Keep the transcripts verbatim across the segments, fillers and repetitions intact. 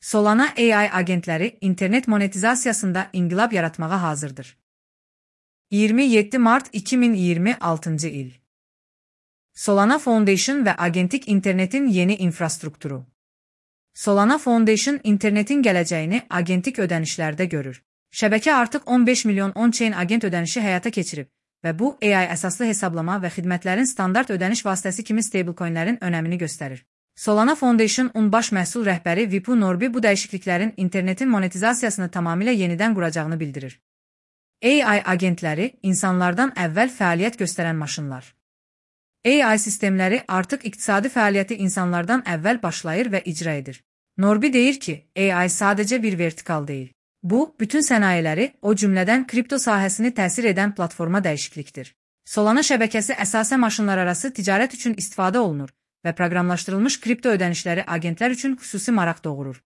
Solana A I agentləri internet monetizasiyasında inqilab yaratmağa hazırdır. iyirmi yeddi mart iki min iyirmi altıncı il. Solana Foundation və agentik internetin yeni infrastrukturu. Solana Foundation internetin gələcəyini agentik ödənişlərdə görür. Şəbəkə artıq on beş milyon on-chain agent ödənişi həyata keçirib və bu A I əsaslı hesablama və xidmətlərin standart ödəniş vasitəsi kimi stablecoinlərin önəmini göstərir. Solana Foundation-un baş məhsul rəhbəri Vipul Norby bu dəyişikliklərin internetin monetizasiyasını tamamilə yenidən quracağını bildirir. A I agentləri insanlardan əvvəl fəaliyyət göstərən maşınlar. A I sistemləri artıq iqtisadi fəaliyyəti insanlardan əvvəl başlayır və icra edir. Norby deyir ki, A I sadəcə bir vertikal deyil. Bu, bütün sənayeləri, o cümlədən kripto sahəsini təsir edən platforma dəyişiklikdir. Solana şəbəkəsi əsasən maşınlararası ticarət üçün istifadə olunur və proqramlaşdırılmış kripto ödənişləri agentlər üçün xüsusi maraq doğurur.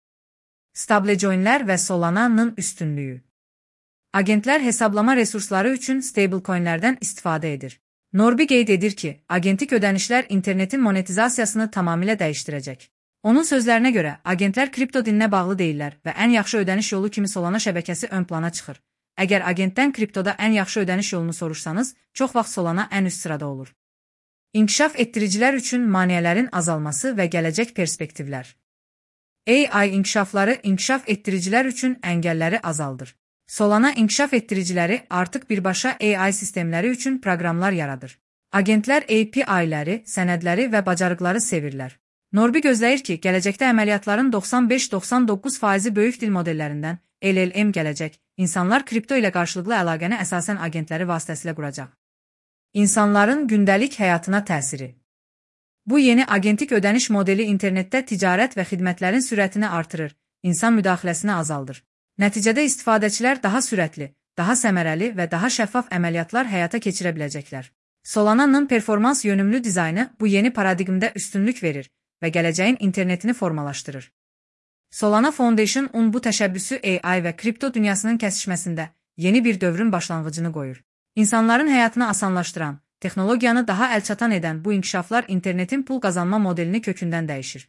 Stablecoinlər və Solana'nın üstünlüyü. Agentlər hesablama resursları üçün stablecoinlərdən istifadə edir. Norby qeyd edir ki, agentik ödənişlər internetin monetizasiyasını tamamilə dəyişdirəcək. Onun sözlərinə görə, agentlər kripto dininə bağlı deyirlər və ən yaxşı ödəniş yolu kimi Solana şəbəkəsi ön plana çıxır. Əgər agentdən kriptoda ən yaxşı ödəniş yolunu soruşsanız, çox vaxt Solana ən üst sırada olur. İnkişaf etdiricilər üçün maneələrin azalması və gələcək perspektivlər. A I inkişafları inkişaf etdiricilər üçün əngəlləri azaldır. Solana inkişaf etdiriciləri artıq birbaşa A I sistemləri üçün proqramlar yaradır. Agentlər A P I-ləri, sənədləri və bacarıqları sevirlər. Norby gözləyir ki, gələcəkdə əməliyyatların doxsan beş doxsan doqquz faizi böyük dil modellərindən L L M gələcək. İnsanlar kripto ilə qarşılıqlı əlaqəni əsasən agentləri vasitəsilə quracaq. İnsanların gündəlik həyatına təsiri. Bu yeni agentik ödəniş modeli internetdə ticarət və xidmətlərin sürətini artırır, insan müdaxiləsini azaldır. Nəticədə istifadəçilər daha sürətli, daha səmərəli və daha şəffaf əməliyyatlar həyata keçirə biləcəklər. Solana'nın performans yönümlü dizaynı bu yeni paradigmdə üstünlük verir və gələcəyin internetini formalaşdırır. Solana Foundation-un bu təşəbbüsü A I və kripto dünyasının kəsişməsində yeni bir dövrün başlanğıcını qoyur. İnsanların həyatını asanlaşdıran, texnologiyanı daha əlçatan edən bu inkişaflar internetin pul qazanma modelini kökündən dəyişir.